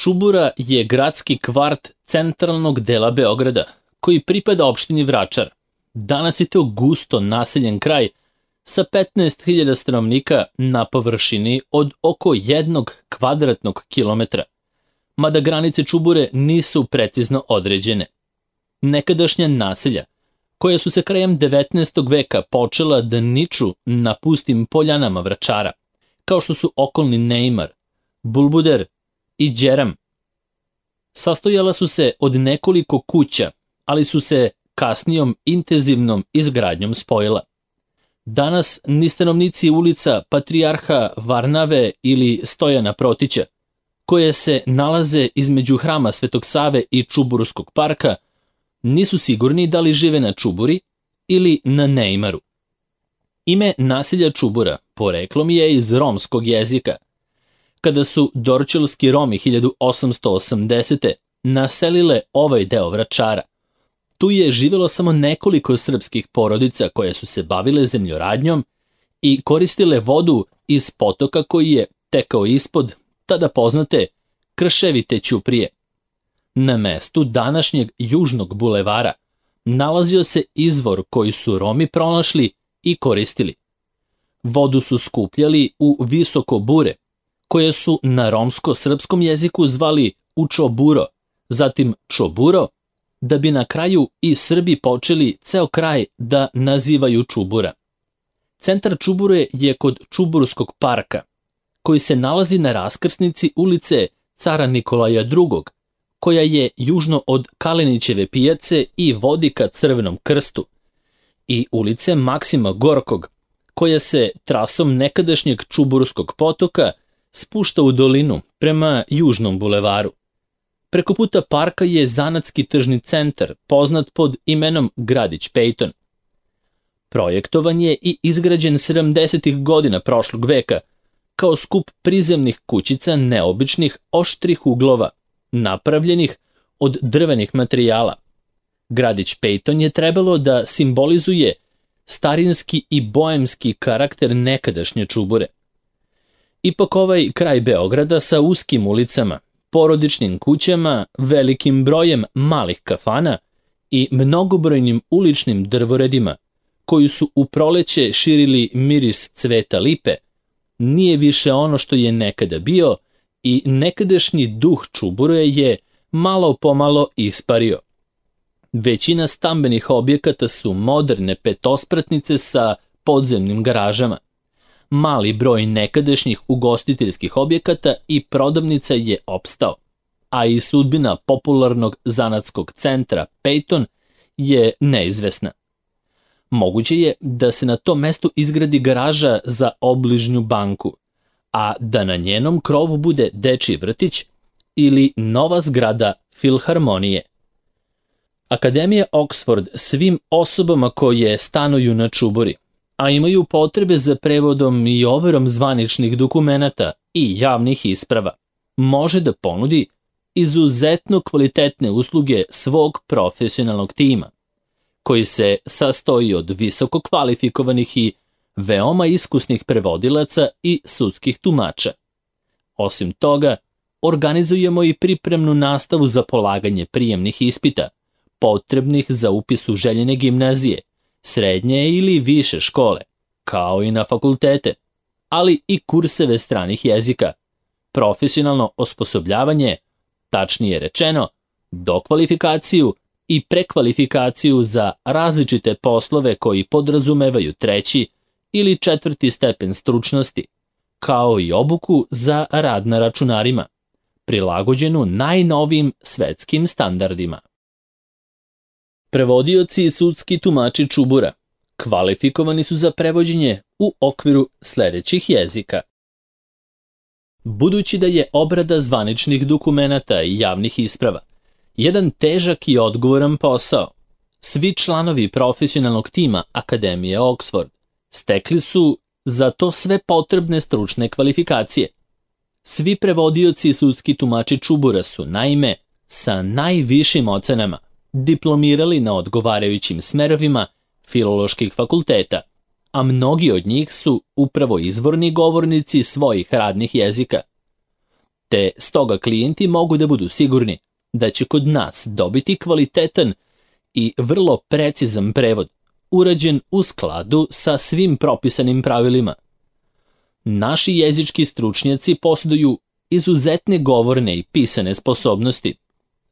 Čubura je gradski kvart centralnog dela Beograda, koji pripada opštini Vračar. Danas je to gusto naseljen kraj sa 15.000 stanovnika na površini od oko 1 kvadratnog kilometra, mada granice Čubure nisu precizno određene. Nekadašnja naselja, koja su se krajem 19. veka počela da niču na pustim poljanama Vračara, kao što su okolni Neimar, Bulbuder i Đeram, sastojala su se od nekoliko kuća, ali su se kasnijom intenzivnom izgradnjom spojila. Danas ni stanovnici ulica Patrijarha Varnave ili Stojana Protića, koje se nalaze između hrama Svetog Save i Čuburskog parka, nisu sigurni da li žive na Čuburi ili na Neimaru. Ime naselja Čubura poreklom je iz romskog jezika. Kada su dorćolski Romi 1880. naselile ovaj deo Vračara, tu je živjelo samo nekoliko srpskih porodica koje su se bavile zemljoradnjom i koristile vodu iz potoka koji je tekao ispod tada poznate Krševite ćuprije. Na mestu današnjeg Južnog bulevara nalazio se izvor koji su Romi pronašli i koristili. Vodu su skupljali u visoko bure, koje su na romsko-srpskom jeziku zvali Učoburo, zatim Čoburo, da bi na kraju i Srbi počeli ceo kraj da nazivaju Čubura. Centar Čubure je kod Čuburskog parka, koji se nalazi na raskrsnici ulice Cara Nikolaja II, koja je južno od Kalenićeve pijace i vodi ka Crvenom krstu, i ulice Maksima Gorkog, koja se trasom nekadašnjeg Čuburskog potoka spušta u dolinu prema Južnom bulevaru. Preko puta parka je zanatski tržni centar, poznat pod imenom Gradić Pejton. Projektovan je i izgrađen 70. godina prošlog veka, kao skup prizemnih kućica neobičnih oštrih uglova, napravljenih od drvenih materijala. Gradić Pejton je trebalo da simbolizuje starinski i boemski karakter nekadašnje Čubure. Ipak ovaj kraj Beograda sa uskim ulicama, porodičnim kućama, velikim brojem malih kafana i mnogobrojnim uličnim drvoredima, koji su u proleće širili miris cveta lipe, nije više ono što je nekada bio i nekadašnji duh Čubure je malo pomalo ispario. Većina stambenih objekata su moderne petospratnice sa podzemnim garažama. Mali broj nekadašnjih ugostiteljskih objekata i prodavnica je opstao, a i sudbina popularnog zanatskog centra Pejton je neizvesna. Moguće je da se na tom mestu izgradi garaža za obližnju banku, a da na njenom krovu bude dečiji vrtić ili nova zgrada filharmonije. Akademija Oxford svim osobama koje stanuju na Čuburi, a imaju potrebe za prevodom i overom zvaničnih dokumenata i javnih isprava, može da ponudi izuzetno kvalitetne usluge svog profesionalnog tima, koji se sastoji od visoko kvalifikovanih i veoma iskusnih prevodilaca i sudskih tumača. Osim toga, organizujemo i pripremnu nastavu za polaganje prijemnih ispita, potrebnih za upis u željene gimnazije, srednje ili više škole, kao i na fakultete, ali i kurseve stranih jezika, profesionalno osposobljavanje, tačnije rečeno, dokvalifikaciju i prekvalifikaciju za različite poslove koji podrazumevaju 3. ili 4. stepen stručnosti, kao i obuku za rad na računarima, prilagođenu najnovijim svetskim standardima. Prevodioci i sudski tumači Čubura kvalifikovani su za prevođenje u okviru sledećih jezika. Budući da je obrada zvaničnih dokumenata i javnih isprava jedan težak i odgovoran posao, svi članovi profesionalnog tima Akademije Oxford stekli su za to sve potrebne stručne kvalifikacije. Svi prevodioci i sudski tumači Čubura su, naime, sa najvišim ocenama diplomirali na odgovarajućim smerovima filoloških fakulteta, a mnogi od njih su upravo izvorni govornici svojih radnih jezika. te stoga klijenti mogu da budu sigurni da će kod nas dobiti kvalitetan i vrlo precizan prevod, urađen u skladu sa svim propisanim pravilima. Naši jezički stručnjaci posjeduju izuzetne govorne i pisane sposobnosti,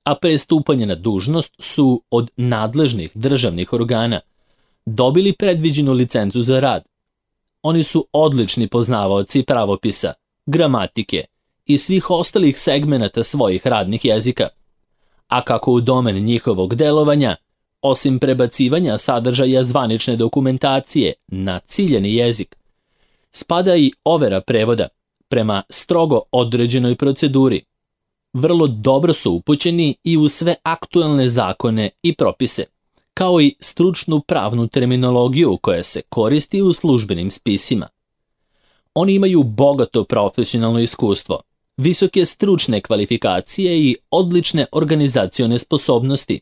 a pre stupanja na dužnost su od nadležnih državnih organa dobili predviđenu licencu za rad. Oni su odlični poznavaoci pravopisa, gramatike i svih ostalih segmenata svojih radnih jezika. A kako u domen njihovog delovanja, osim prebacivanja sadržaja zvanične dokumentacije na ciljeni jezik, spada i overa prevoda prema strogo određenoj proceduri. Vrlo dobro su upućeni i u sve aktuelne zakone i propise, kao i stručnu pravnu terminologiju koja se koristi u službenim spisima. Oni imaju bogato profesionalno iskustvo, visoke stručne kvalifikacije i odlične organizacione sposobnosti,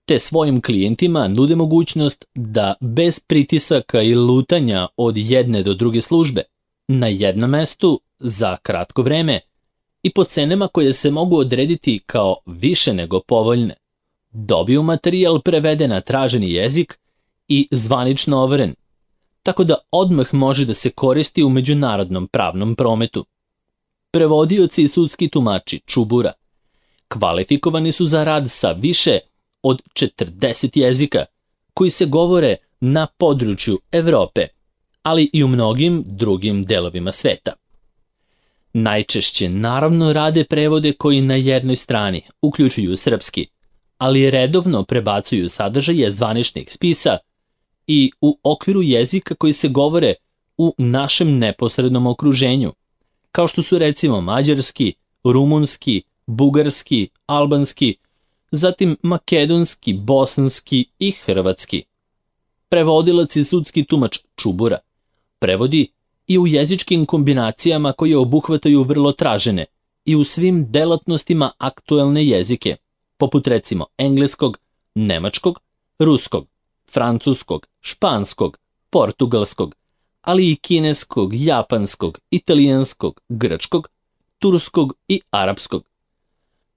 te svojim klijentima nude mogućnost da bez pritisaka i lutanja od jedne do druge službe, na jednom mestu, za kratko vreme i po cenama koje se mogu odrediti kao više nego povoljne, dobiju materijal preveden na traženi jezik i zvanično overen, tako da odmah može da se koristi u međunarodnom pravnom prometu. Prevodioci i sudski tumači Čubura kvalifikovani su za rad sa više od 40 jezika koji se govore na području Evrope, ali i u mnogim drugim delovima sveta. Najčešće naravno rade prevode koji na jednoj strani uključuju srpski, ali redovno prebacuju sadržaje zvaničnih spisa i u okviru jezika koji se govore u našem neposrednom okruženju, kao što su recimo mađarski, rumunski, bugarski, albanski, zatim makedonski, bosanski i hrvatski. Prevodilac i sudski tumač Čubura prevodi i u jezičkim kombinacijama koje obuhvataju vrlo tražene i u svim delatnostima aktuelne jezike, poput recimo engleskog, nemačkog, ruskog, francuskog, španskog, portugalskog, ali i kineskog, japanskog, italijanskog, grčkog, turskog i arapskog.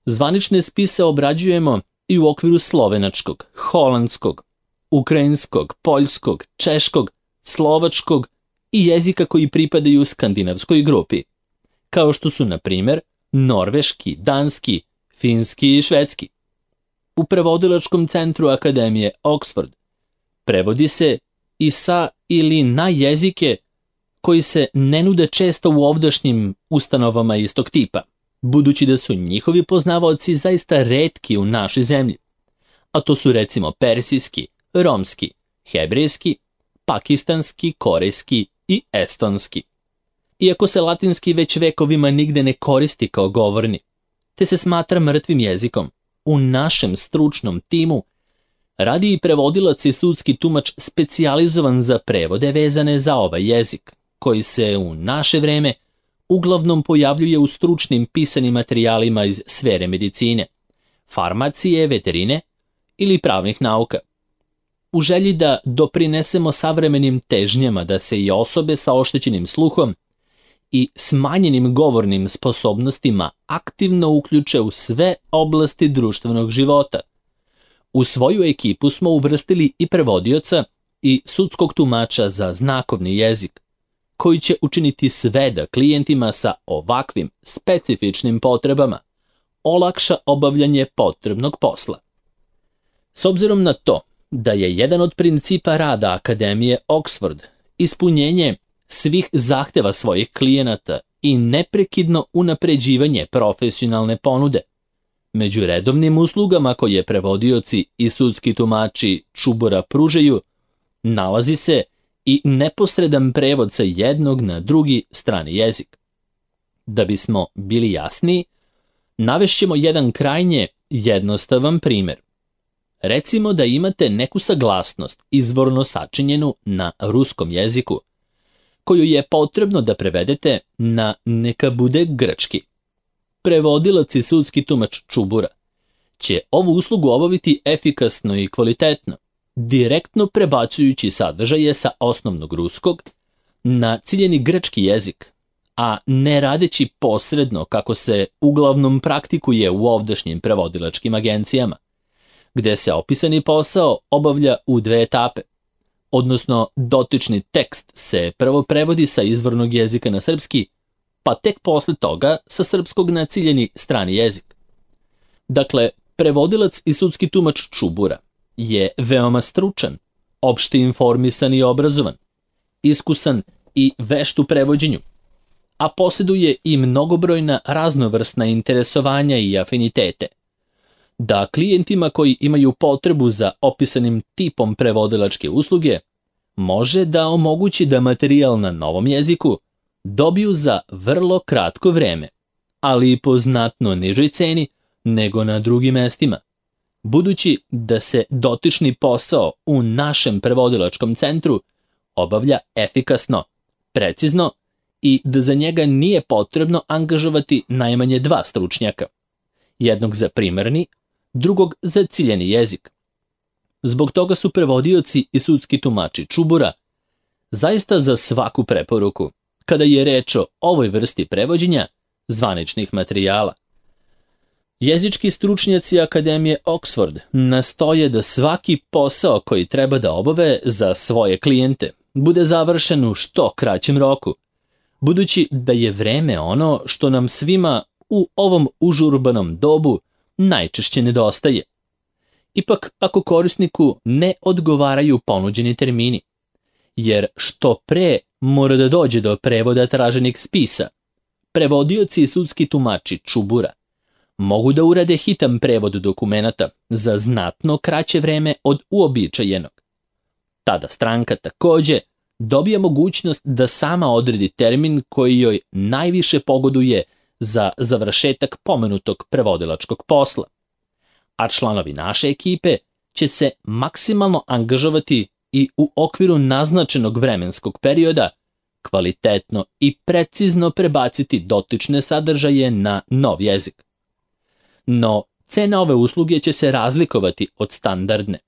Zvanične spise obrađujemo i u okviru slovenačkog, holandskog, ukrajinskog, poljskog, češkog, slovačkog i jezika koji pripadaju skandinavskoj grupi, kao što su, na primjer, norveški, danski, finski i švedski. U prevodilačkom centru Akademije Oxford prevodi se i sa ili na jezike koji se ne nude često u ovdašnjim ustanovama istog tipa, budući da su njihovi poznavaoci zaista retki u našoj zemlji, a to su recimo persijski, romski, hebrejski, pakistanski, korejski i estonski. Iako se latinski već vekovima nigde ne koristi kao govorni, te se smatra mrtvim jezikom, u našem stručnom timu radi i prevodilac i sudski tumač specijalizovan za prevode vezane za ovaj jezik, koji se u naše vreme uglavnom pojavljuje u stručnim pisanim materijalima iz sfere medicine, farmacije, veterine ili pravnih nauka. U želji da doprinesemo savremenim težnjama da se i osobe sa oštećenim sluhom i smanjenim govornim sposobnostima aktivno uključe u sve oblasti društvenog života. U svoju ekipu smo uvrstili i prevodioca i sudskog tumača za znakovni jezik, koji će učiniti sve da klijentima sa ovakvim specifičnim potrebama olakša obavljanje potrebnog posla. S obzirom na to da je jedan od principa rada Akademije Oxford ispunjenje svih zahteva svojih klijenata i neprekidno unapređivanje profesionalne ponude, među redovnim uslugama koje prevodioci i sudski tumači Čubura pružaju, nalazi se i neposredan prevod sa jednog na drugi strani jezik. Da bismo bili jasniji, navešćemo jedan krajnje jednostavan primjer. Recimo da imate neku saglasnost izvorno sačinjenu na ruskom jeziku, koju je potrebno da prevedete na neka bude grčki. Prevodilac i sudski tumač Čubura će ovu uslugu obaviti efikasno i kvalitetno, direktno prebacujući sadržaje sa osnovnog ruskog na ciljeni grčki jezik, a ne radeći posredno kako se uglavnom praktikuje u ovdašnjim prevodilačkim agencijama, gde se opisani posao obavlja u 2 etape, odnosno dotični tekst se prvo prevodi sa izvornog jezika na srpski, pa tek posle toga sa srpskog na ciljeni strani jezik. Dakle, prevodilac i sudski tumač Čubura je veoma stručan, opšte informisan i obrazovan, iskusan i vešt u prevođenju, a posjeduje i mnogobrojna raznovrsna interesovanja i afinitete, da klijentima koji imaju potrebu za opisanim tipom prevodilačke usluge može da omogući da materijal na novom jeziku dobiju za vrlo kratko vreme, ali i po znatno nižoj ceni nego na drugim mestima, budući da se dotični posao u našem prevodilačkom centru obavlja efikasno, precizno i da za njega nije potrebno angažovati najmanje 2 stručnjaka, jednog za primarni, drugog za ciljeni jezik. Zbog toga su prevodioci i sudski tumači Čubura zaista za svaku preporuku kada je reč o ovoj vrsti prevođenja zvaničnih materijala. Jezički stručnjaci Akademije Oxford nastoje da svaki posao koji treba da obave za svoje klijente bude završen u što kraćem roku, budući da je vreme ono što nam svima u ovom užurbanom dobu najčešće nedostaje. Ipak, ako korisniku ne odgovaraju ponuđeni termini, jer što pre mora da dođe do prevoda traženih spisa, prevodioci i sudski tumači Čubura mogu da urade hitan prevod dokumenata za znatno kraće vreme od uobičajenog. Tada stranka takođe dobija mogućnost da sama odredi termin koji joj najviše pogoduje za završetak pomenutog prevodilačkog posla, a članovi naše ekipe će se maksimalno angažovati i u okviru naznačenog vremenskog perioda kvalitetno i precizno prebaciti dotične sadržaje na nov jezik. No, cena ove usluge će se razlikovati od standardne,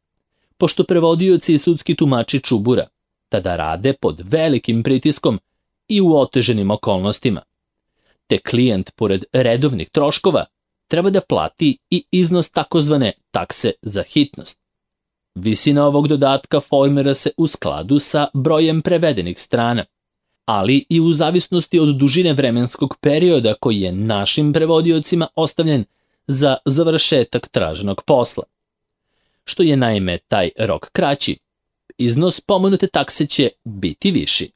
pošto prevodioci i sudski tumači Čubura tada rade pod velikim pritiskom i u oteženim okolnostima, te klijent pored redovnih troškova treba da plati i iznos takozvane takse za hitnost. Visina ovog dodatka formira se u skladu sa brojem prevedenih strana, ali i u zavisnosti od dužine vremenskog perioda koji je našim prevodiocima ostavljen za završetak traženog posla. Što je naime taj rok kraći, iznos pomenute takse će biti viši.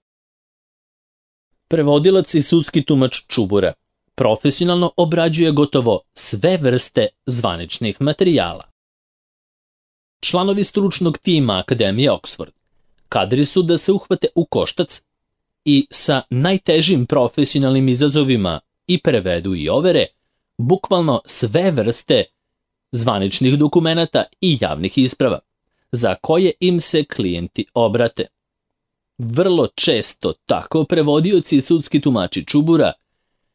Prevodilac i sudski tumač Čubura profesionalno obrađuje gotovo sve vrste zvaničnih materijala. Članovi stručnog tima Akademije Oxford kadri su da se uhvate u koštac i sa najtežim profesionalnim izazovima i prevedu i overe bukvalno sve vrste zvaničnih dokumenata i javnih isprava, za koje im se klijenti obrate. Vrlo često tako prevodioci i sudski tumači Čubura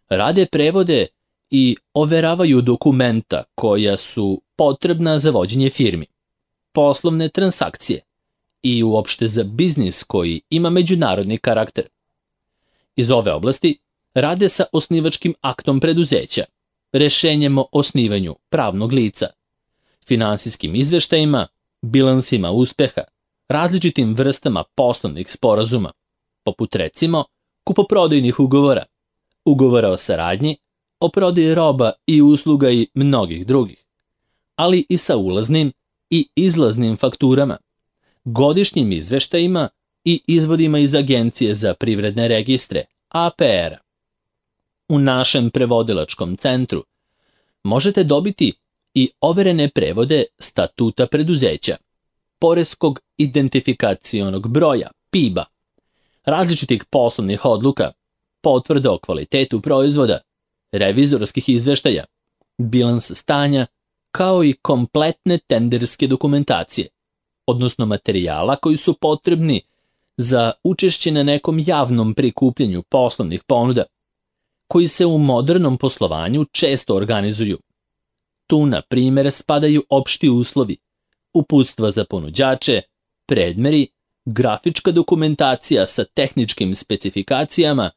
rade prevode i overavaju dokumenta koja su potrebna za vođenje firmi, poslovne transakcije i uopšte za biznis koji ima međunarodni karakter. Iz ove oblasti rade sa osnivačkim aktom preduzeća, rešenjem o osnivanju pravnog lica, finansijskim izveštajima, bilansima uspeha, različitim vrstama poslovnih sporazuma, poput recimo kupoprodajnih ugovora, ugovora o saradnji, o prodaji roba i usluga i mnogih drugih, ali i sa ulaznim i izlaznim fakturama, godišnjim izveštajima i izvodima iz Agencije za privredne registre, APR-a. U našem prevodilačkom centru možete dobiti i overene prevode statuta preduzeća, poreskog identifikacionog broja, PIB-a, različitih poslovnih odluka, potvrda o kvalitetu proizvoda, revizorskih izveštaja, bilans stanja, kao i kompletne tenderske dokumentacije, odnosno materijala koji su potrebni za učešće na nekom javnom prikupljanju poslovnih ponuda, koji se u modernom poslovanju često organizuju. Tu, na primjer, spadaju opšti uslovi, uputstva za ponuđače, predmeri, grafička dokumentacija sa tehničkim specifikacijama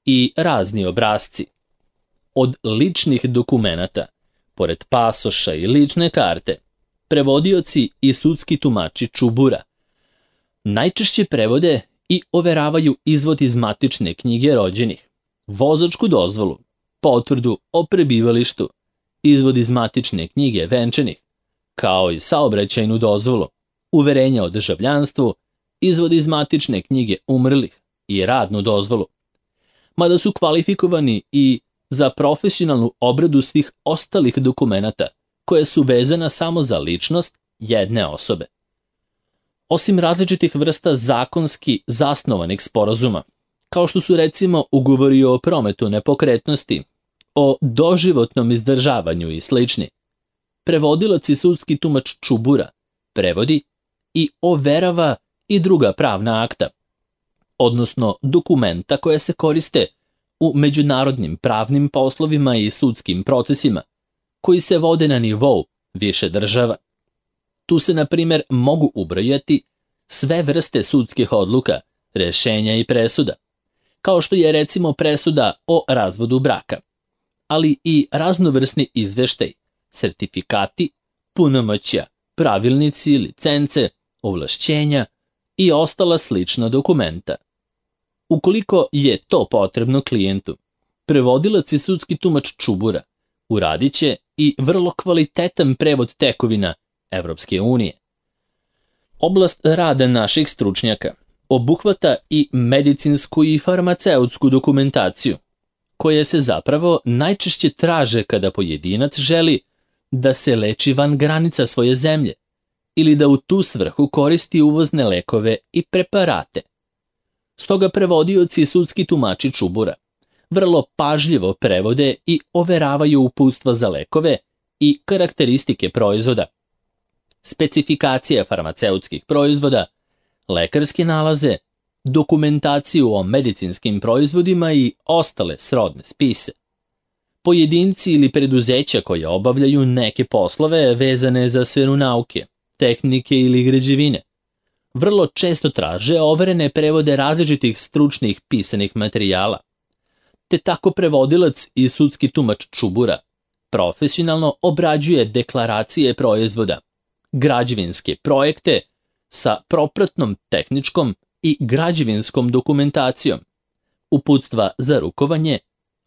i razni obrasci. Od ličnih dokumenata, pored pasoša i lične karte, prevodioci i sudski tumači čubura najčešće prevode i overavaju izvod iz matične knjige rođenih, vozačku dozvolu, potvrdu o prebivalištu, izvod iz matične knjige venčanih, kao i saobraćajnu dozvolu, uverenja o državljanstvu, izvod iz matične knjige umrlih i radnu dozvolu. Mada su kvalifikovani i za profesionalnu obradu svih ostalih dokumenata koje su vezana samo za ličnost jedne osobe. Osim različitih vrsta zakonski zasnovanih sporazuma, kao što su recimo ugovori o prometu nepokretnosti, o doživotnom izdržavanju i slični, prevodilac i sudski tumač čubura prevodi i overava i druga pravna akta, odnosno dokumenta koja se koriste u međunarodnim pravnim poslovima i sudskim procesima, koji se vode na nivou više država. Tu se, na primjer, mogu ubrojati sve vrste sudskih odluka, rešenja i presuda, kao što je recimo presuda o razvodu braka, ali i raznovrsni izveštaj, sertifikati, punomoćja, pravilnici, licence, ovlašćenja i ostala slična dokumenta. Ukoliko je to potrebno klijentu, prevodilac i sudski tumač čubura uradit će i vrlo kvalitetan prevod tekovina Evropske unije. Oblast rada naših stručnjaka obuhvata i medicinsku i farmaceutsku dokumentaciju, koje se zapravo najčešće traže kada pojedinac želi da se leči van granica svoje zemlje ili da u tu svrhu koristi uvozne lekove i preparate. Stoga prevodioci i sudski tumači čubura vrlo pažljivo prevode i overavaju uputstva za lekove i karakteristike proizvoda, specifikacije farmaceutskih proizvoda, lekarske nalaze, dokumentaciju o medicinskim proizvodima i ostale srodne spise. Pojedinci ili preduzeća koje obavljaju neke poslove vezane za sferu nauke, tehnike ili građevine, vrlo često traže overene prevode različitih stručnih pisanih materijala, te tako prevodilac i sudski tumač čubura profesionalno obrađuje deklaracije proizvoda, građevinske projekte sa propratnom tehničkom i građevinskom dokumentacijom, uputstva za rukovanje,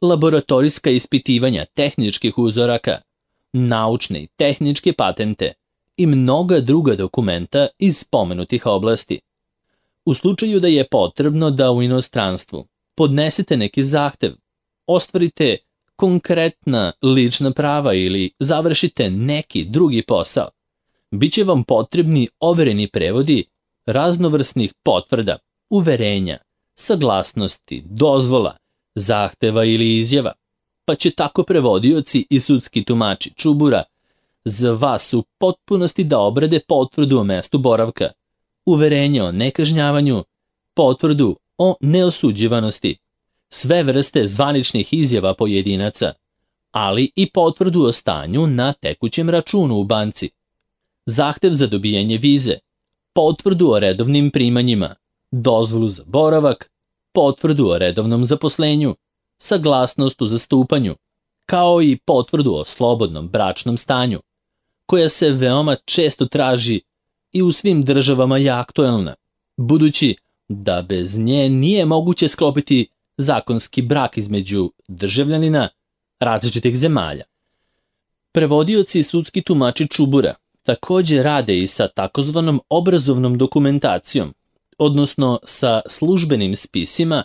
laboratorijska ispitivanja tehničkih uzoraka, naučne i tehničke patente i mnoga druga dokumenta iz spomenutih oblasti. U slučaju da je potrebno da u inostranstvu podnesete neki zahtev, ostvarite konkretna lična prava ili završite neki drugi posao, biće vam potrebni overeni prevodi raznovrsnih potvrda, uverenja, saglasnosti, dozvola, zahteva ili izjava, pa će tako prevodioci i sudski tumači čubura za vas u potpunosti da obrade potvrdu o mestu boravka, uverenje o nekažnjavanju, potvrdu o neosuđivanosti, sve vrste zvaničnih izjava pojedinaca, ali i potvrdu o stanju na tekućem računu u banci, zahtev za dobijanje vize, potvrdu o redovnim primanjima, dozvolu za boravak, potvrdu o redovnom zaposlenju, saglasnost u zastupanju, kao i potvrdu o slobodnom bračnom stanju, koja se veoma često traži i u svim državama je aktuelna, budući da bez nje nije moguće sklopiti zakonski brak između državljanina različitih zemalja. Prevodioci i sudski tumači čubura također rade i sa takozvanom obrazovnom dokumentacijom, odnosno sa službenim spisima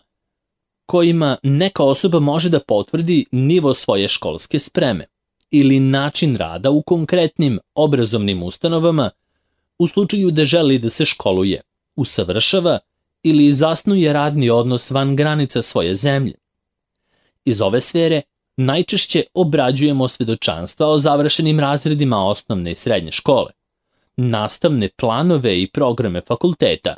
kojima neka osoba može da potvrdi nivo svoje školske spreme ili način rada u konkretnim obrazovnim ustanovama u slučaju da želi da se školuje, usavršava ili zasnuje radni odnos van granica svoje zemlje. Iz ove sfere najčešće obrađujemo svedočanstva o završenim razredima osnovne i srednje škole, nastavne planove i programe fakulteta,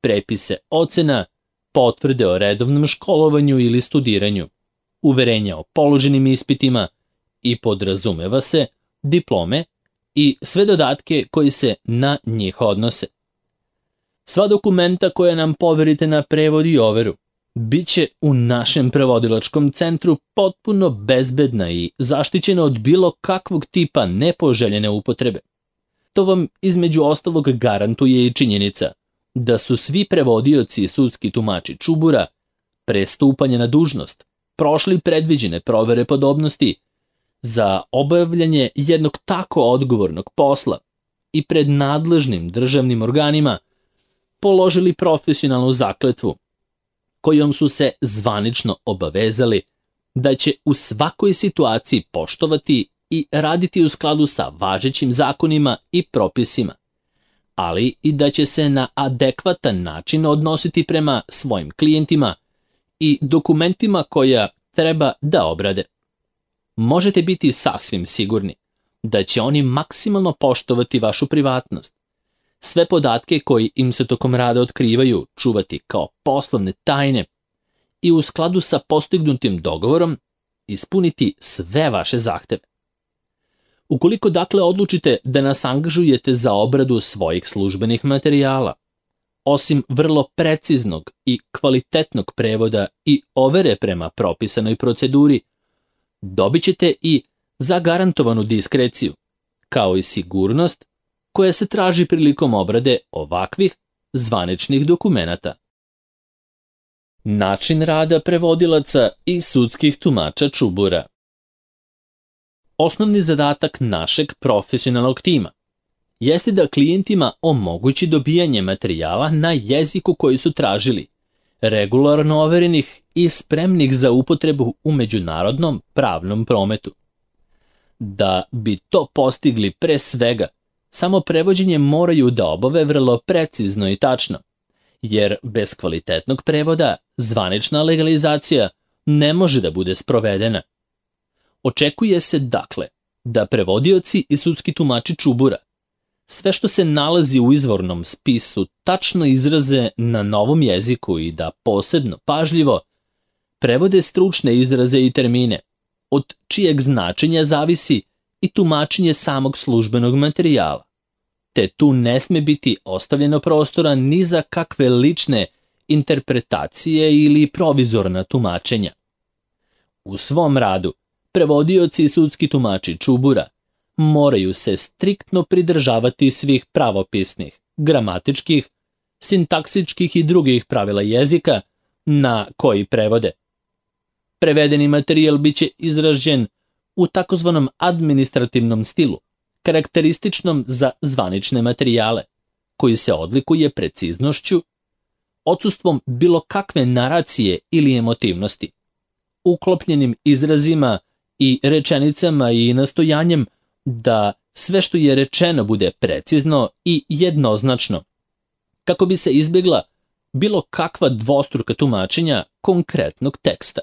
prepise ocena, potvrde o redovnom školovanju ili studiranju, uverenja o položenim ispitima i podrazumeva se diplome i sve dodatke koji se na njih odnose. Sva dokumenta koja nam poverite na prevod i overu biće u našem prevodilačkom centru potpuno bezbedna i zaštićena od bilo kakvog tipa nepoželjene upotrebe. To vam između ostalog garantuje i činjenica da su svi prevodioci i sudski tumači Čubura pre stupanja na dužnost prošli predviđene provere podobnosti za obavljanje jednog tako odgovornog posla i pred nadležnim državnim organima položili profesionalnu zakletvu kojom su se zvanično obavezali da će u svakoj situaciji poštovati i raditi u skladu sa važećim zakonima i propisima, ali i da će se na adekvatan način odnositi prema svojim klijentima i dokumentima koja treba da obrade. Možete biti sasvim sigurni da će oni maksimalno poštovati vašu privatnost, sve podatke koji im se tokom rada otkrivaju čuvati kao poslovne tajne i u skladu sa postignutim dogovorom ispuniti sve vaše zahteve. Ukoliko dakle odlučite da nas angažujete za obradu svojih službenih materijala, osim vrlo preciznog i kvalitetnog prevoda i overe prema propisanoj proceduri, dobit ćete i zagarantovanu diskreciju, kao i sigurnost koja se traži prilikom obrade ovakvih zvaničnih dokumenata. Način rada prevodilaca i sudskih tumača Čubura. Osnovni zadatak našeg profesionalnog tima jeste da klijentima omogući dobijanje materijala na jeziku koji su tražili, regularno overenih i spremnih za upotrebu u međunarodnom pravnom prometu. Da bi to postigli pre svega, samo prevođenje moraju da obave vrlo precizno i tačno, jer bez kvalitetnog prevoda zvanična legalizacija ne može da bude sprovedena. Očekuje se dakle da prevodioci i sudski tumači Čubura sve što se nalazi u izvornom spisu tačno izraze na novom jeziku i da posebno pažljivo prevode stručne izraze i termine, od čijeg značenja zavisi i tumačenje samog službenog materijala, te tu ne sme biti ostavljeno prostora ni za kakve lične interpretacije ili provizorna tumačenja. U svom radu prevodioci i sudski tumači Čubura moraju se striktno pridržavati svih pravopisnih, gramatičkih, sintaksičkih i drugih pravila jezika na koji prevode. Prevedeni materijal biće izražen u takozvanom administrativnom stilu, karakterističnom za zvanične materijale, koji se odlikuje preciznošću, odsustvom bilo kakve naracije ili emotivnosti, uklopljenim izrazima i rečenicama i nastojanjem da sve što je rečeno bude precizno i jednoznačno, kako bi se izbjegla bilo kakva dvostruka tumačenja konkretnog teksta.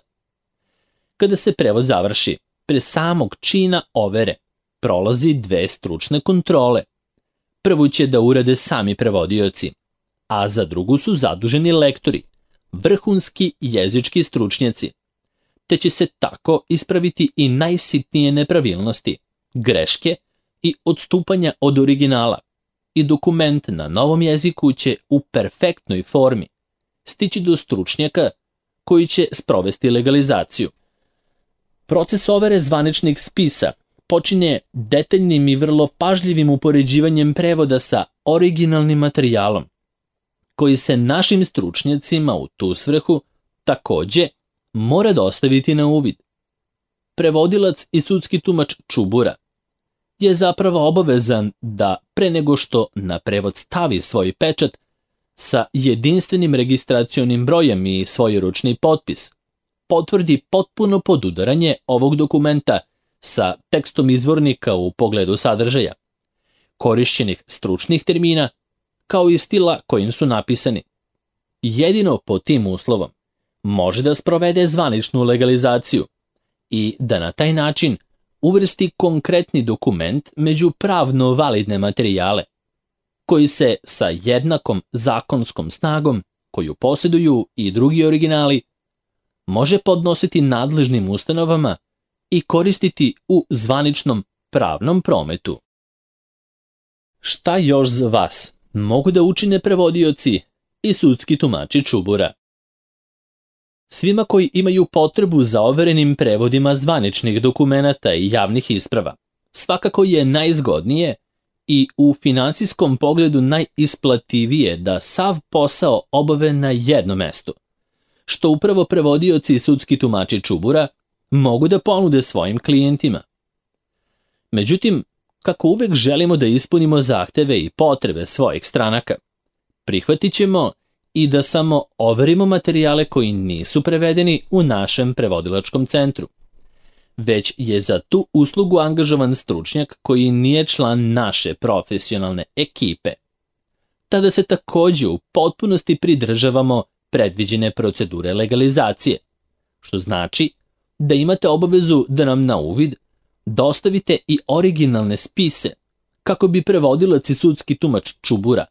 Kada se prevod završi, pre samog čina overe prolazi dve stručne kontrole. Prvu će da urade sami prevodioci, a za drugu su zaduženi lektori, vrhunski jezički stručnjaci, te će se tako ispraviti i najsitnije nepravilnosti, greške i odstupanja od originala, i dokument na novom jeziku će u perfektnoj formi stići do stručnjaka koji će sprovesti legalizaciju. Proces overe zvaničnih spisa počinje detaljnim i vrlo pažljivim upoređivanjem prevoda sa originalnim materijalom, koji se našim stručnjacima u tu svrhu takođe mora dostaviti na uvid. Prevodilac i sudski tumač Čubura je zapravo obavezan da pre nego što na prevod stavi svoj pečat sa jedinstvenim registracionim brojem i svojeručni potpis, potvrdi potpuno podudaranje ovog dokumenta sa tekstom izvornika u pogledu sadržaja, korišćenih stručnih termina, kao i stila kojim su napisani. Jedino pod tim uslovom može da sprovede zvaničnu legalizaciju i da na taj način uvrsti konkretni dokument među pravno validne materijale, koji se sa jednakom zakonskom snagom koju posjeduju i drugi originali može podnositi nadležnim ustanovama i koristiti u zvaničnom pravnom prometu. Šta još za vas mogu da učine prevodioci i sudski tumači Čubura? Svima koji imaju potrebu za overenim prevodima zvaničnih dokumenata i javnih isprava, svakako je najzgodnije i u finansijskom pogledu najisplativije da sav posao obave na jednom mestu, što upravo prevodioci i sudski tumači čubura mogu da ponude svojim klijentima. Međutim, kako uvek želimo da ispunimo zahteve i potrebe svojih stranaka, prihvatit ćemo i da samo overimo materijale koji nisu prevedeni u našem prevodilačkom centru, već je za tu uslugu angažovan stručnjak koji nije član naše profesionalne ekipe. Tada se takođe u potpunosti pridržavamo predviđene procedure legalizacije, što znači da imate obavezu da nam na uvid dostavite i originalne spise kako bi prevodilac i sudski tumač čubura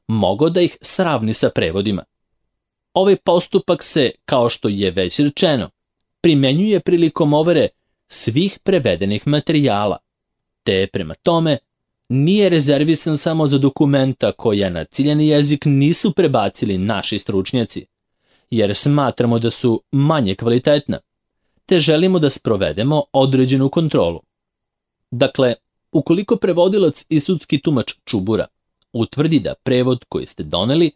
mogao da ih sravni sa prevodima. Ovaj postupak se, kao što je već rečeno, primenjuje prilikom overe svih prevedenih materijala, te prema tome nije rezervisan samo za dokumenta koja na ciljani jezik nisu prebacili naši stručnjaci, jer smatramo da su manje kvalitetna, te želimo da sprovedemo određenu kontrolu. Dakle, ukoliko prevodilac i sudski tumač čubura utvrdi da prevod koji ste doneli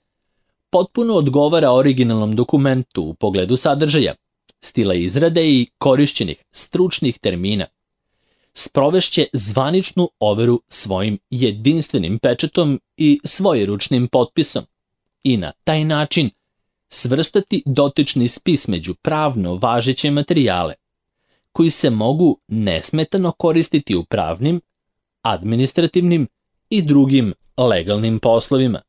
potpuno odgovara originalnom dokumentu u pogledu sadržaja, stila izrade i korišćenih stručnih termina, sprovešće zvaničnu overu svojim jedinstvenim pečatom i svojeručnim potpisom i na taj način svrstati dotični spis među pravno važeće materijale, koji se mogu nesmetano koristiti u pravnim, administrativnim i drugim legalnim poslovima.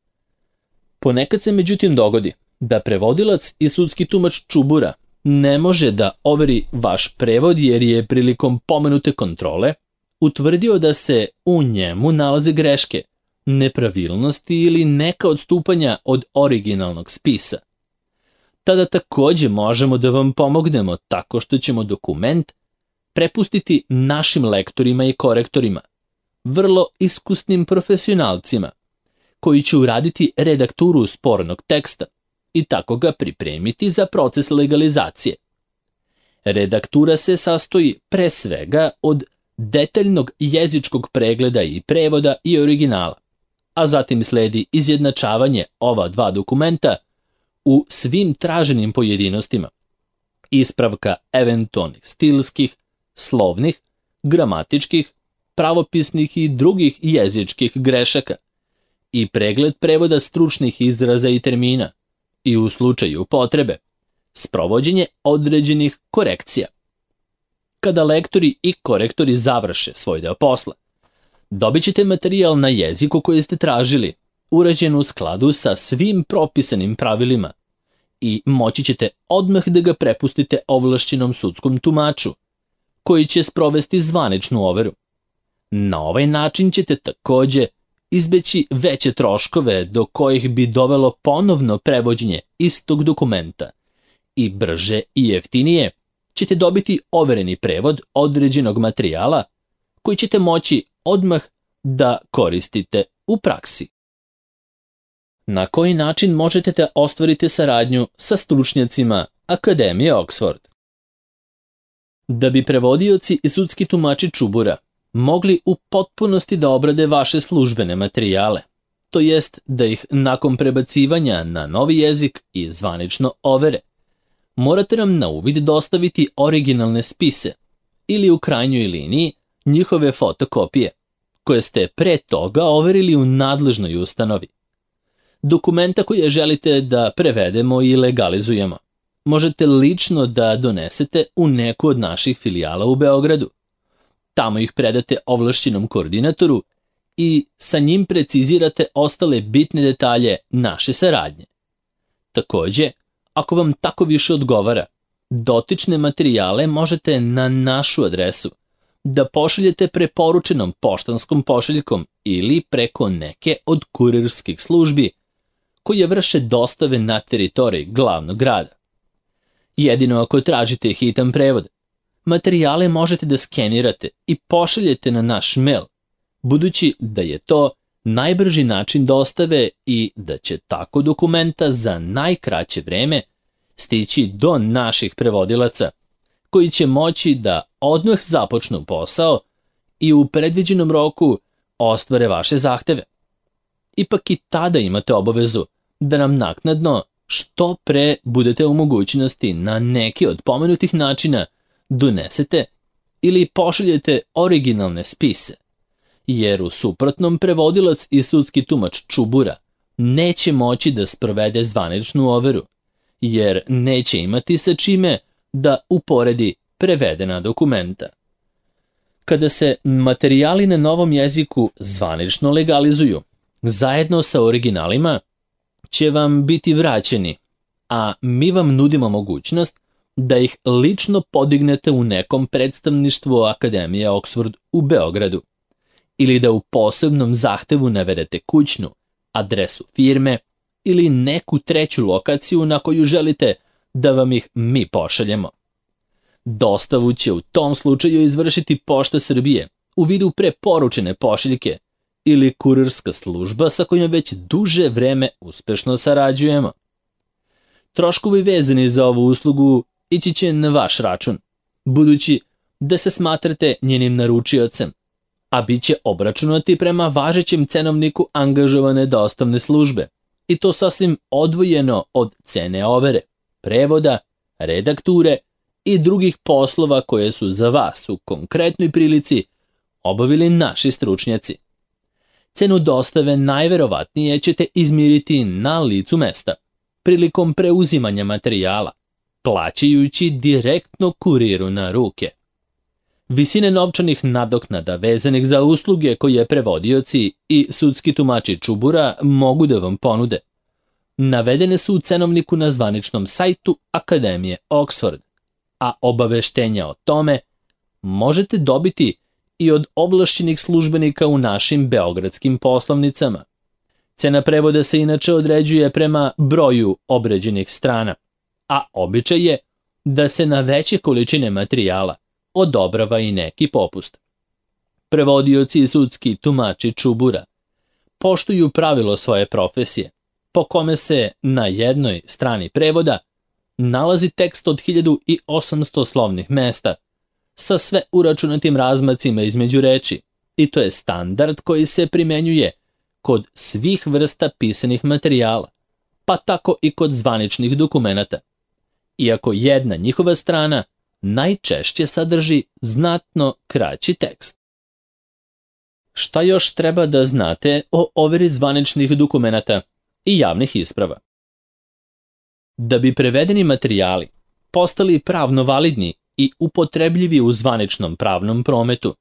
Ponekad se međutim dogodi da prevodilac i sudski tumač čubura ne može da overi vaš prevod jer je prilikom pomenute kontrole utvrdio da se u njemu nalaze greške, nepravilnosti ili neka odstupanja od originalnog spisa. Tada takođe možemo da vam pomognemo tako što ćemo dokument prepustiti našim lektorima i korektorima, vrlo iskusnim profesionalcima, koji će uraditi redakturu spornog teksta i tako ga pripremiti za proces legalizacije. Redaktura se sastoji pre svega od detaljnog jezičkog pregleda i prevoda i originala, a zatim sledi izjednačavanje ova dva dokumenta u svim traženim pojedinostima, ispravka eventualnih stilskih, slovnih, gramatičkih, pravopisnih i drugih jezičkih grešaka i pregled prevoda stručnih izraza i termina i u slučaju potrebe sprovođenje određenih korekcija. Kada lektori i korektori završe svoj deo posla, dobit ćete materijal na jeziku koji ste tražili, urađen u skladu sa svim propisanim pravilima i moći ćete odmah da ga prepustite ovlašćenom sudskom tumaču, koji će sprovesti zvaničnu overu. Na ovaj način ćete takođe izbeći veće troškove do kojih bi dovelo ponovno prevođenje istog dokumenta i brže i jeftinije ćete dobiti overeni prevod određenog materijala koji ćete moći odmah da koristite u praksi. Na koji način možete da ostvarite saradnju sa stručnjacima Akademije Oxford? Da bi prevodioci i sudski tumači čubura mogli u potpunosti da obrade vaše službene materijale, to jest da ih nakon prebacivanja na novi jezik i zvanično overe, morate nam na uvid dostaviti originalne spise ili u krajnjoj liniji njihove fotokopije, koje ste pre toga overili u nadležnoj ustanovi. Dokumenta koje želite da prevedemo i legalizujemo možete lično da donesete u neku od naših filijala u Beogradu. Tamo ih predate ovlašćenom koordinatoru i sa njim precizirate ostale bitne detalje naše saradnje. Takođe, ako vam tako više odgovara, dotične materijale možete na našu adresu da pošaljete preporučenom poštanskom pošiljkom ili preko neke od kurirskih službi koje vrše dostave na teritoriji glavnog grada. Jedino ako tražite hitan prevod, materijale možete da skenirate i pošaljete na naš mail, budući da je to najbrži način dostave i da će tako dokumenta za najkraće vreme stići do naših prevodilaca, koji će moći da odmah započnu posao i u predviđenom roku ostvare vaše zahteve. Ipak i tada imate obavezu da nam naknadno što pre budete u mogućnosti na neki od pomenutih načina donesete ili pošaljete originalne spise, jer u suprotnom prevodilac i sudski tumač Čubura neće moći da sprovede zvaničnu overu, jer neće imati sa čime da uporedi prevedena dokumenta. Kada se materijali na novom jeziku zvanično legalizuju, zajedno sa originalima će vam biti vraćeni, a mi vam nudimo mogućnost da ih lično podignete u nekom predstavništvu Akademije Oxford u Beogradu ili da u posebnom zahtevu navedete kućnu, adresu firme ili neku treću lokaciju na koju želite da vam ih mi pošaljemo. Dostavu će u tom slučaju izvršiti Pošta Srbije u vidu preporučene pošiljke ili kurirska služba sa kojom već duže vreme uspešno sarađujemo. Troškovi vezani za ovu uslugu ići će na vaš račun, budući da se smatrate njenim naručiocem, a bit će obračunati prema važećem cenovniku angažovane dostavne službe, i to sasvim odvojeno od cene overe, prevoda, redakture i drugih poslova koje su za vas u konkretnoj prilici obavili naši stručnjaci. Cenu dostave najverovatnije ćete izmiriti na licu mesta, prilikom preuzimanja materijala, plaćajući direktno kuriru na ruke. Visine novčanih nadoknada vezanih za usluge koje prevodioci i sudski tumači Čubura mogu da vam ponude navedene su u cenovniku na zvaničnom sajtu Akademije Oxford, a obaveštenja o tome možete dobiti i od ovlašćenih službenika u našim beogradskim poslovnicama. Cena prevoda se inače određuje prema broju obrađenih strana, a običaj je da se na veće količine materijala odobrava i neki popust. Prevodioci i sudski tumači Čubura poštuju pravilo svoje profesije, po kome se na jednoj strani prevoda nalazi tekst od 1800 slovnih mesta, sa sve uračunatim razmacima između reči, i to je standard koji se primenjuje kod svih vrsta pisanih materijala, pa tako i kod zvaničnih dokumenata, iako jedna njihova strana najčešće sadrži znatno kraći tekst. Šta još treba da znate o overi zvaničnih dokumenata i javnih isprava? Da bi prevedeni materijali postali pravno validni i upotrebljivi u zvaničnom pravnom prometu,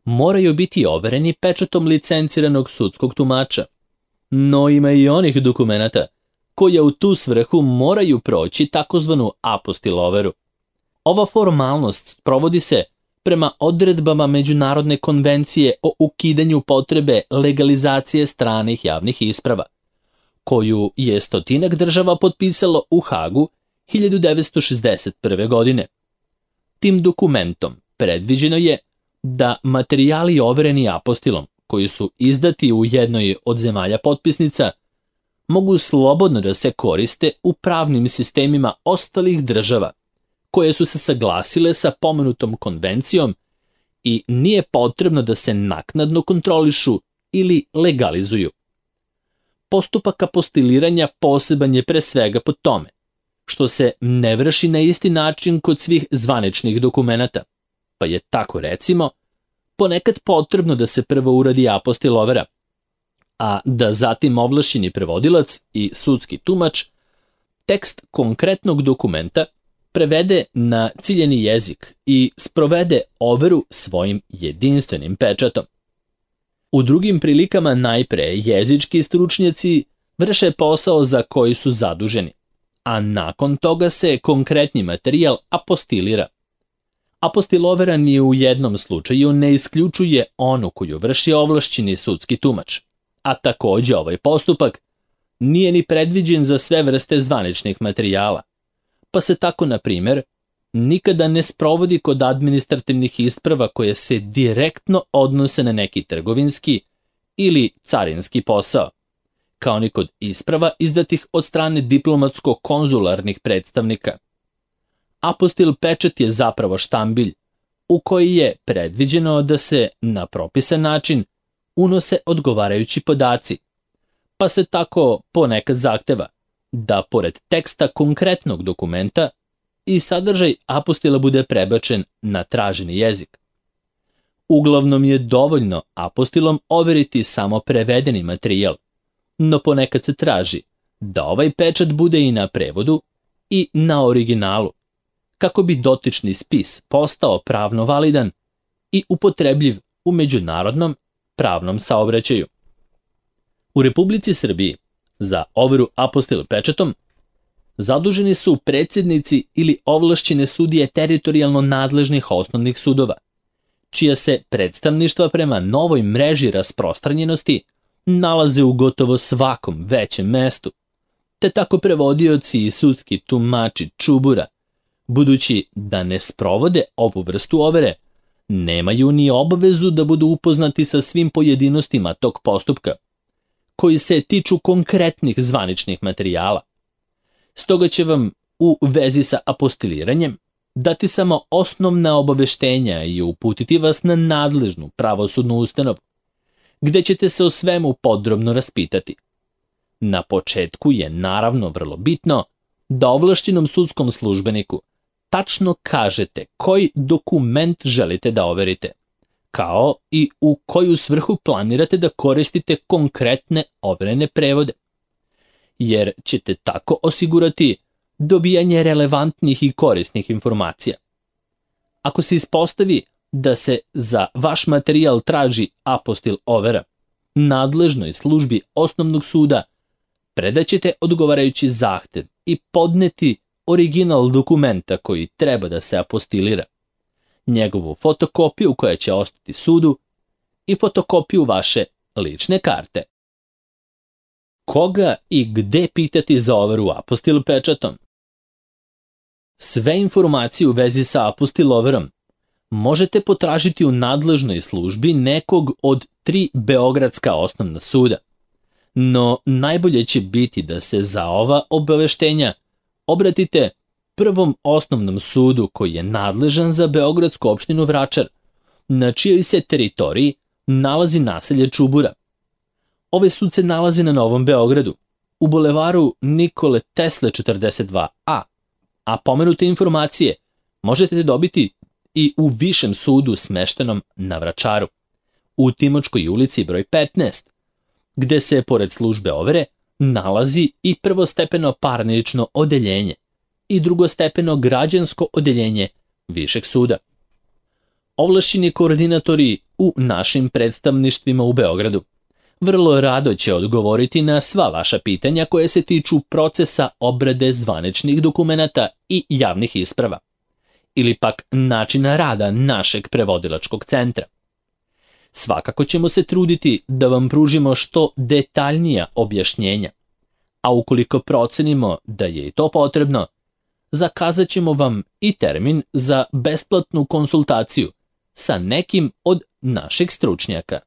moraju biti overeni pečatom licenciranog sudskog tumača, no ima i onih dokumenata koja u tu svrhu moraju proći takozvanu apostil overu. Ova formalnost provodi se prema odredbama Međunarodne konvencije o ukidanju potrebe legalizacije stranih javnih isprava, koju je 100 država potpisalo u Hagu 1961. godine. Tim dokumentom predviđeno je da materijali overeni apostilom, koji su izdati u jednoj od zemalja potpisnica, mogu slobodno da se koriste u pravnim sistemima ostalih država, koje su se saglasile sa pomenutom konvencijom i nije potrebno da se naknadno kontrolišu ili legalizuju. Postupak apostiliranja poseban je pre svega po tome što se ne vrši na isti način kod svih zvaničnih dokumenata, pa je tako recimo ponekad potrebno da se prvo uradi apostil overa, a da zatim ovlašćeni prevodilac i sudski tumač tekst konkretnog dokumenta prevede na ciljeni jezik i sprovede overu svojim jedinstvenim pečatom. U drugim prilikama najpre jezički stručnjaci vrše posao za koji su zaduženi, a nakon toga se konkretni materijal apostilira. Apostil overa ni u jednom slučaju ne isključuje onu koju vrši ovlašćeni sudski tumač, a takođe ovaj postupak nije ni predviđen za sve vrste zvaničnih materijala, pa se tako, na primjer, nikada ne sprovodi kod administrativnih isprava koje se direktno odnose na neki trgovinski ili carinski posao, kao ni kod isprava izdatih od strane diplomatsko-konzularnih predstavnika. Apostil pečat je zapravo štambilj u koji je predviđeno da se na propisan način unose odgovarajući podaci, pa se tako ponekad zahteva da pored teksta konkretnog dokumenta i sadržaj apostila bude prebačen na traženi jezik. Uglavnom je dovoljno apostilom overiti samo prevedeni materijal, no ponekad se traži da ovaj pečat bude i na prevodu i na originalu, kako bi dotični spis postao pravno validan i upotrebljiv u međunarodnom pravnom saobraćaju. U Republici Srbiji za overu apostil pečatom zaduženi su predsjednici ili ovlašćene sudije teritorijalno nadležnih osnovnih sudova, čija se predstavništva prema novoj mreži rasprostranjenosti nalaze u gotovo svakom većem mestu, te tako prevodioci i sudski tumači čubura, budući da ne sprovode ovu vrstu overe, nemaju ni obavezu da budu upoznati sa svim pojedinostima tog postupka, koji se tiču konkretnih zvaničnih materijala. Stoga će vam u vezi sa apostiliranjem dati samo osnovna obaveštenja i uputiti vas na nadležnu pravosudnu ustanovu, gde ćete se o svemu podrobno raspitati. Na početku je naravno vrlo bitno da ovlašćenom sudskom službeniku tačno kažete koji dokument želite da overite, kao i u koju svrhu planirate da koristite konkretne overene prevode, jer ćete tako osigurati dobijanje relevantnih i korisnih informacija. Ako se ispostavi da se za vaš materijal traži apostil overa, nadležnoj službi osnovnog suda predaćete odgovarajući zahtev i podneti original dokumenta koji treba da se apostilira, njegovu fotokopiju koja će ostati sudu i fotokopiju vaše lične karte. Koga i gde pitati za overu apostil pečatom? Sve informacije u vezi sa apostil overom možete potražiti u nadležnoj službi nekog od 3 beogradska osnovna suda, no najbolje će biti da se za ova obaveštenja obratite Prvom osnovnom sudu koji je nadležan za beogradsku opštinu Vračar, na čijoj se teritoriji nalazi naselje Čubura. Ovaj sud se nalazi na Novom Beogradu, u bulevaru Nikole Tesle 42A, a pomenute informacije možete dobiti i u višem sudu smeštenom na Vračaru, u Timočkoj ulici broj 15, gde se, pored službe overe, nalazi i prvostepeno parnično odeljenje i drugostepeno građansko odeljenje višeg suda. Ovlašćeni koordinatori u našim predstavništvima u Beogradu vrlo rado će odgovoriti na sva vaša pitanja koje se tiču procesa obrade zvaničnih dokumenata i javnih isprava, ili pak načina rada našeg prevodilačkog centra. Svakako ćemo se truditi da vam pružimo što detaljnija objašnjenja, a ukoliko procenimo da je i to potrebno, zakazat ćemo vam i termin za besplatnu konsultaciju sa nekim od naših stručnjaka.